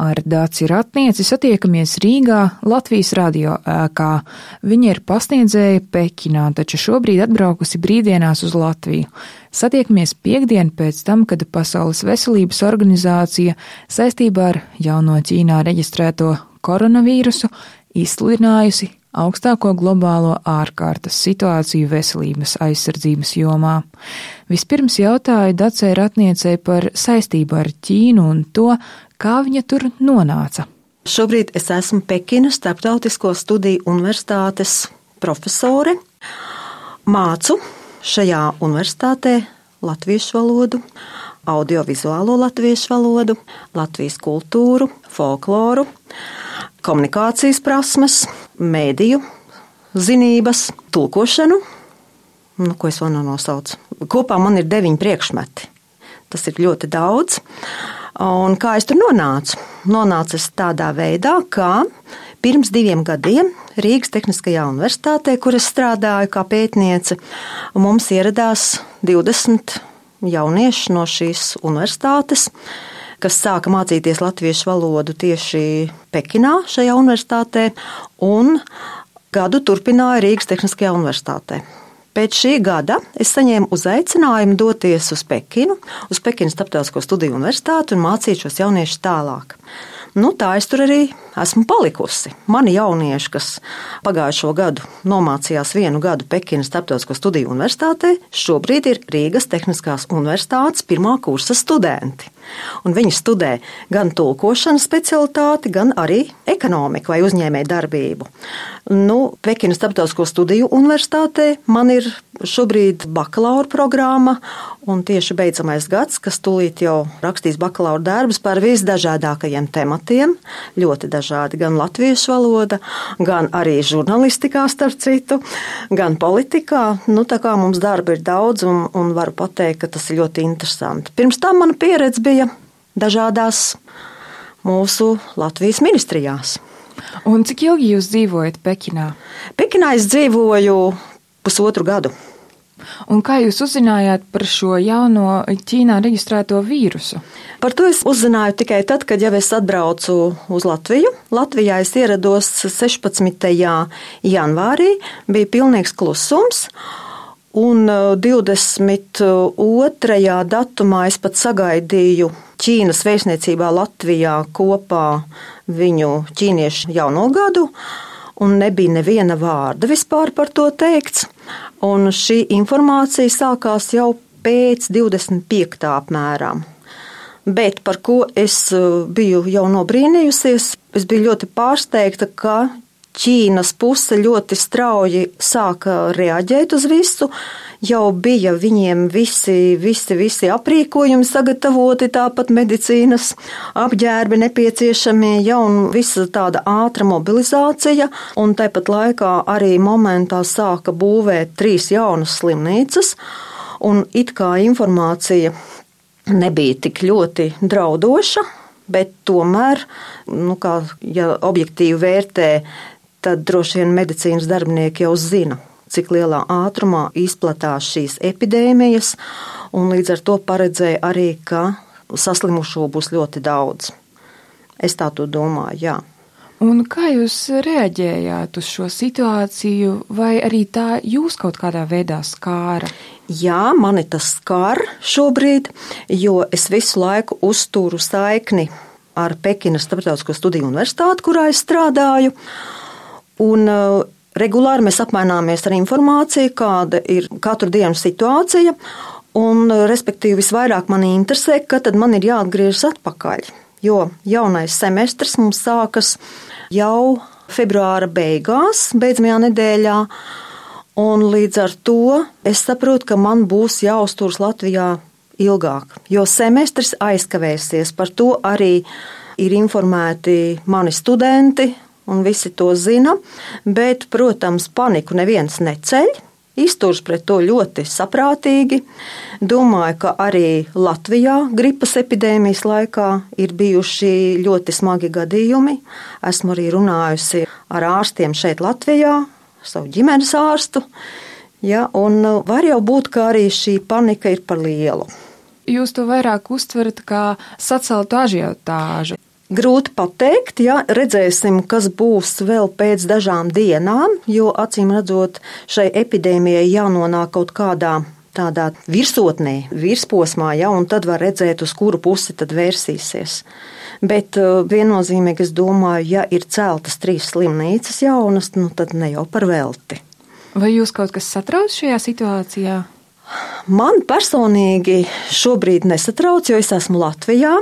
Ar Dāci Ratnieci satiekamies Rīgā, Latvijas radio ēkā. Viņa ir pasniedzēja Pekinā, taču šobrīd atbraukusi brīvdienās uz Latviju. Satiekamies piektdien pēc tam, kad Pasaules veselības organizācija saistībā ar jauno Ķīnā reģistrēto koronavīrusu izsludinājusi augstāko globālo ārkārtas situāciju veselības aizsardzības jomā. Vispirms jautāju Dacei Ratniecei par saistību ar Ķīnu un to, kā viņa tur nonāca. Šobrīd es esmu Pekinas Starptautisko studiju universitātes profesore. Mācu šajā universitātē latviešu valodu, audiovizuālo latviešu valodu, Latvijas kultūru, folkloru, komunikācijas prasmes, mēdīju zinības, tulkošanu. Ko es vēl nenosaucu? Kopā man ir 9 priekšmeti. Tas ir ļoti daudz. Un kā es tur nonācu? Nonācu es tādā veidā, ka pirms 2 gadiem Rīgas Tehniskajā universitātē, kur es strādāju kā pētniece, mums ieradās 20 jaunieši no šīs universitātes, kas sāka mācīties latviešu valodu tieši Pekinā šajā universitātē un gadu turpināja Rīgas Tehniskajā universitātē. Pēc šī gada es saņēmu uzaicinājumu doties uz Pekinu, uz Pekinas Starptautisko studiju universitāti un mācīt šos jauniešus tālāk. Tā es tur arī esmu palikusi. Mani jaunieši, kas pagājušo gadu nomācījās 1 gadu Pekinas Starptautisko studiju universitātē, šobrīd ir Rīgas Tehniskās universitātes 1. kursa studenti. Un viņi studē gan tulkošanas specialitāti, gan arī ekonomiku vai uzņēmēju darbību. Pekinas Starptautisko studiju universitātē man ir šobrīd bakalaura programma un tieši beidzamais gads, kas tūlīt jau rakstīs bakalaura darbus par visdažādākajiem tematiem, ļoti dažādi, gan latviešu valoda, gan arī žurnalistikā starp citu, gan politikā. Tā kā mums darba ir daudz un varu pateikt, ka tas ir ļoti interesanti. Pirms tam mana pieredze bija dažādās mūsu Latvijas ministrijās. Un cik ilgi jūs dzīvojat Pekinā? Pekinā es dzīvoju 1,5 gadu. Un kā jūs uzzinājāt par šo jauno Ķīnā reģistrēto vīrusu? Par to es uzzināju tikai tad, kad jau es atbraucu uz Latviju. Latvijā es ierados 16. janvārī, bija pilnīgs klusums. Un 22. datumā es pat sagaidīju Ķīnas vēstniecībā Latvijā kopā viņu ķīniešu jauno gadu, un nebija neviena vārda vispār par to teikts. Un šī informācija sākās jau pēc 25. apmēram. Bet par ko es biju jau nobrīnījusies, es biju ļoti pārsteigta, ka Ķīnas puse ļoti strauji sāka reaģēt uz visu. Jau bija viņiem visi aprīkojumi sagatavoti, tāpat medicīnas apģērbi nepieciešamie, un visa tāda ātra mobilizācija. Un tāpat laikā arī momentā sāka būvēt 3 jaunas slimnīcas, un it kā informācija nebija tik ļoti draudoša, bet tomēr, ja objektīvi vērtē, tad droši vien medicīnas darbinieki jau zina, cik lielā ātrumā izplatās šīs epidēmijas, un līdz ar to paredzēja arī, ka saslimušo būs ļoti daudz. Es tā to domāju, jā. Un kā jūs reaģējāt uz šo situāciju, vai arī tā jūs kaut kādā veidā skāra? Jā, mani tas skar šobrīd, jo es visu laiku uzturu saikni ar Pekinas Starptautisko studiju universitāti, kurā es strādāju. Un regulāri mēs apmaināmies ar informāciju, kāda ir katru dienu situācija, un respektīvi visvairāk mani interesē, ka tad man ir jāatgriežas atpakaļ, jo jaunais semestrs mums sākas jau februāra beigās, beidzamajā nedēļā, un līdz ar to es saprotu, ka man būs jāuzturas Latvijā ilgāk, jo semestrs aizkavēsies, par to arī ir informēti mani studenti, un visi to zina, bet, protams, paniku neviens neceļ, izturs pret to ļoti saprātīgi. Domāju, ka arī Latvijā gripas epidēmijas laikā ir bijuši ļoti smagi gadījumi. Esmu arī runājusi ar ārstiem šeit Latvijā, savu ģimenes ārstu, un var jau būt, ka arī šī panika ir par lielu. Jūs to vairāk uztverat kā saceltu ažiotāžu. Grūti pateikt, ja redzēsim, kas būs vēl pēc dažām dienām, jo acīm redzot, šai epidēmijai jānonāk kaut kādā tādā virsotnē, virsposmā, ja, un tad var redzēt, uz kuru pusi tad vērsīsies. Bet viennozīmīgi es domāju, ja ir celtas 3 slimnīcas jaunas, tad ne jau par velti. Vai jūs kaut kas satrauc šajā situācijā? Man personīgi šobrīd nesatrauc, jo es esmu Latvijā.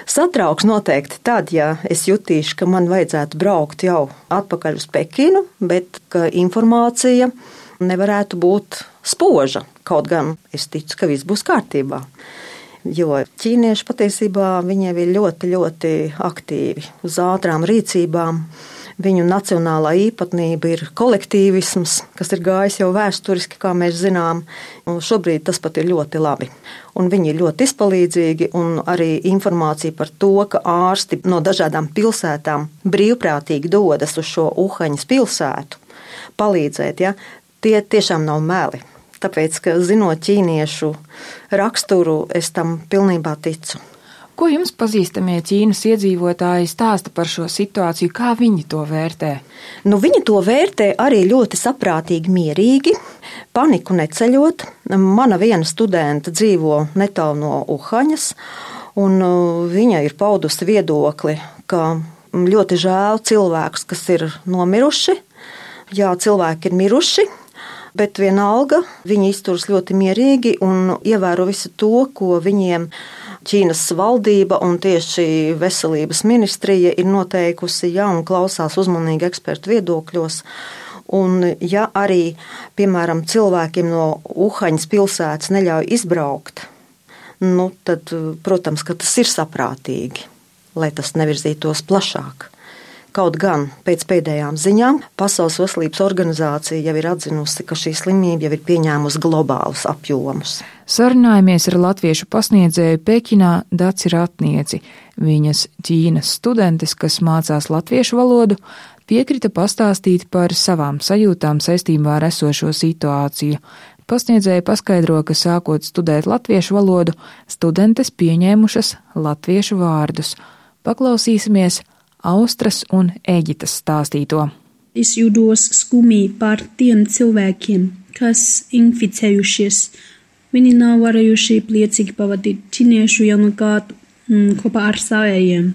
Satrauks noteikti tad, ja es jutīšu, ka man vajadzētu braukt jau atpakaļ uz Pekinu, bet ka informācija nevarētu būt spoža. Kaut gan es ticu, ka viss būs kārtībā. Jo ķīnieši patiesībā viņiem ir ļoti, ļoti aktīvi uz ātrām rīcībām. Viņu nacionālā īpatnība ir kolektīvisms, kas ir gājis jau vēsturiski, kā mēs zinām. Un šobrīd tas pat ir ļoti labi. Un viņi ir ļoti izpalīdzīgi, un arī informācija par to, ka ārsti no dažādām pilsētām brīvprātīgi dodas uz šo Uhaņas pilsētu palīdzēt, ja, tie tiešām nav meli. Tāpēc, ka zinot ķīniešu raksturu, es tam pilnībā ticu. Ko jums pazīstamie Ķīnas iedzīvotāji stāsta par šo situāciju, kā viņi to vērtē? Viņi to vērtē arī ļoti saprātīgi, mierīgi, paniku neceļot. Mana viena studenta dzīvo netālu no Uhaņas, un viņa ir paudusi viedokli, ka ļoti žēl cilvēkus, kas ir nomiruši. Jā, cilvēki ir miruši, bet vienalga viņi izturas ļoti mierīgi un ievēro visu to, ko viņiem Ķīnas valdība un tieši veselības ministrija ir noteikusi, ja, un klausās uzmanīgi ekspertu viedokļos. Un ja arī, piemēram, cilvēkiem no Uhaņas pilsētas neļauj izbraukt, tad, protams, ka tas ir saprātīgi, lai tas nevirzītos plašāk. Kaut gan pēc pēdējām ziņām Pasaules veselības organizācija jau ir atzinusi, ka šī slimība jau ir pieņēmusi globālus apjomus. Sarunājamies ar latviešu pasniedzēju Pekinā Daci Ratnieci. Viņas Ķīnas studentes, kas mācās latviešu valodu, piekrita pastāstīt par savām sajūtām saistībā ar esošo situāciju. Pasniedzēja paskaidro, ka sākot studēt latviešu valodu, studentes pieņēmušas latviešu vārdus. Paklausīsimies Austras un Eģitas stāstīto. Es jūtos skumji par tiem cilvēkiem, kas inficējušies. Viņi nav varējuši priecīgi pavadīt ķīniešu jaunu gadu kopā ar savējiem.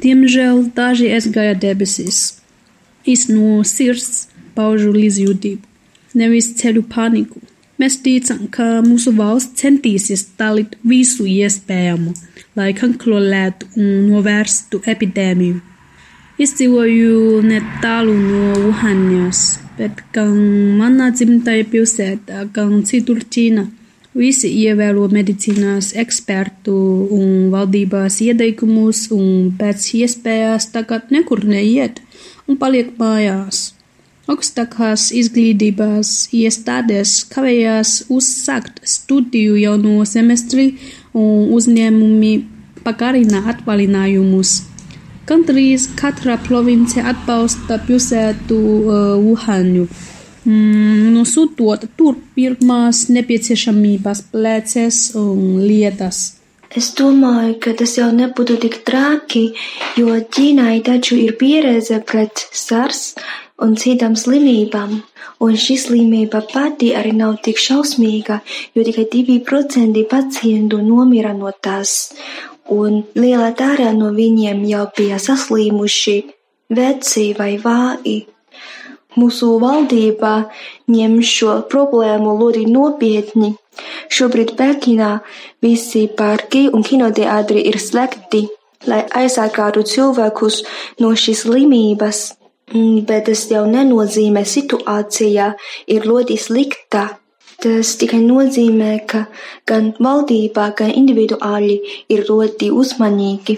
Diemžēl daži aizgāja debesīs. Es no sirds paužu līdzjūtību, nevis ceļu paniku. Mēs ticam, ka mūsu valsts centīsies darīt visu iespējamo, lai kontrolētu un novērstu epidēmiju. Es dzīvoju netālu no Uhaņas, bet gan manā dzimtajā pilsētā, gan citur Ķīnā, visi ievēro medicīnas ekspertu un valdības ieteikumus un pēc iespējas tagad nekur neiet un paliek mājās. Augstākās izglītības iestādes kavējās uzsākt studiju jauno semestri un uzņēmumi pagarina atvaļinājumus. Gandrīz katra province atbalsta pilsētu Uhaņu, nosūtot tur pirmās nepieciešamības preces un lietas. Es domāju, ka tas jau nebūtu tik traki, jo Ķīnai taču ir pieredze pret SARS un citām slimībām, un šī slimība pati arī nav tik šausmīga, jo tikai 2% pacientu nomira no tās, un liela daļa no viņiem jau bija saslimuši, veci vai vāji. Mūsu valdība ņem šo problēmu ļoti nopietni. Šobrīd Pekinā visi parki un kinoteātri ir slēgti, lai aizsargātu cilvēkus no šīs slimības. Bet tas jau nenozīmē, situācija ir ļoti slikta. Tas tikai nozīmē, ka gan valdībā, gan individuāli ir ļoti uzmanīgi.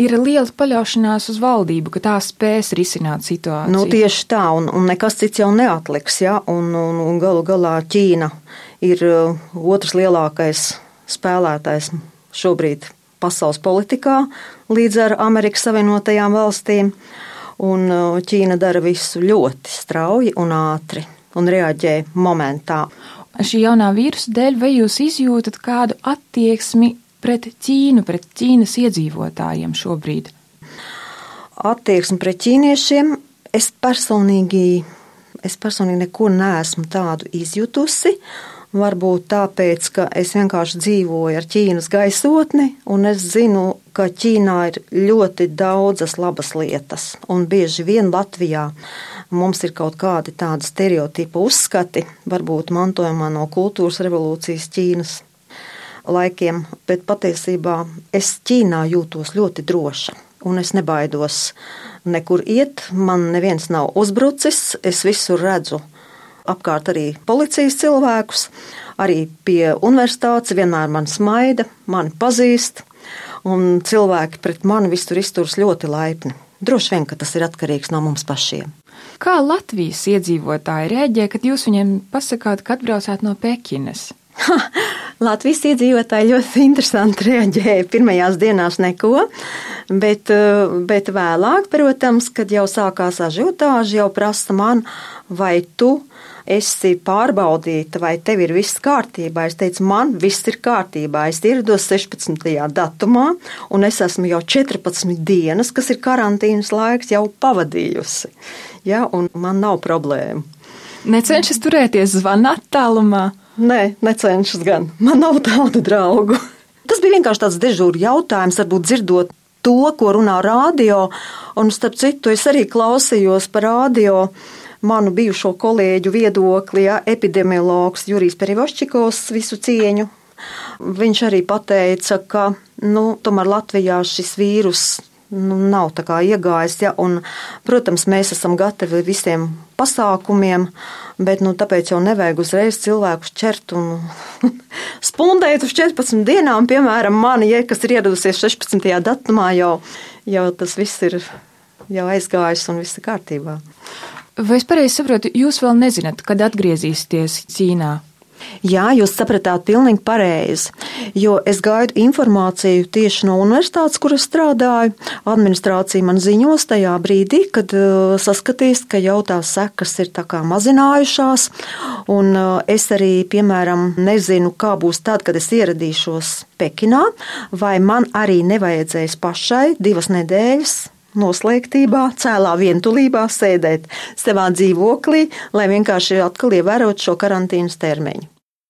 Ir liela paļaušanās uz valdību, ka tā spēs risināt situāciju. Tieši tā, un nekas cits jau neatliks, ja? Un galu galā Ķīna ir otrs lielākais spēlētājs šobrīd pasaules politikā līdz ar Amerikas Savienotajām valstīm. Un Ķīna dara visu ļoti strauji un ātri un reaģē momentā. Šī jaunā vīrusa dēļ vai jūs izjūtat kādu attieksmi pret Ķīnu, pret Ķīnas iedzīvotājiem šobrīd? Attieksme pret ķīniešiem, es personīgi neko neesmu tādu izjutusi. Varbūt tāpēc, ka es vienkārši dzīvoju ar Ķīnas gaisotni, un es zinu, ka Ķīnā ir ļoti daudzas labas lietas. Un bieži vien Latvijā mums ir kaut kādi tādi stereotipu uzskati, varbūt mantojumā no kultūras revolūcijas Ķīnas laikiem, bet patiesībā es Ķīnā jūtos ļoti droša, un es nebaidos nekur iet, man neviens nav uzbrucis, es visur redzu apkārt arī policijas cilvēkus, arī pie universitātes vienmēr man smaida, mani pazīst, un cilvēki pret mani visur izturas ļoti laipni. Droši vien, ka tas ir atkarīgs no mums pašiem. Kā Latvijas iedzīvotāji reaģē, kad jūs viņiem pasakāt, ka atbraucāt no Pekinas? Latvijas iedzīvotāji ļoti interesanti reaģēja. Pirmajās dienās neko, bet vēlāk, protams, kad jau sākās ažiotāži, jau prasa man, vai tu esi pārbaudīta, vai tev ir viss kārtībā. Es teicu, man viss ir kārtībā. Es ierados 16. datumā, un es esmu jau 14 dienas, kas ir karantīnas laiks, jau pavadījusi. Ja, un man nav problēmu. Necenšas turēties zvana attālumā? Nē, necenšas gan. Man nav tādu draugu. Tas bija vienkārši tāds dežūra jautājums, varbūt dzirdot to, ko runā rādio, un starp citu es arī klausījos par rādio manu bijušo kolēģu viedokli, epidemiologs Jurijs Perivoščikovs, visu cieņu. Viņš arī pateica, ka tomēr Latvijā šis vīrus nav tā kā iegājis, un, protams, mēs esam gatavi visiem pasākumiem, bet tāpēc jau nevajag uzreiz cilvēkus ķert un spundēt uz 14 dienām, piemēram, mani, kas ir ieradusies 16. datumā, jau tas viss ir jau aizgājis un viss ir kārtībā. Vai es pareizi saprotu, jūs vēl nezināt, kad atgriezīsieties Ķīnā? Jā, jūs sapratāt pilnīgi pareizi, jo es gaidu informāciju tieši no universitātes, kur es strādāju. Administrācija man ziņos tajā brīdī, kad saskatīs, ka jau tās sekas ir tā kā mazinājušās, un es arī, piemēram, nezinu, kā būs tad, kad es ieradīšos Pekinā, vai man arī nevajadzēs pašai 2 nedēļas noslēgtībā, cēlā vientulībā sēdēt savā dzīvoklī, lai vienkārši atkal ievērotu šo karantīnas termiņu.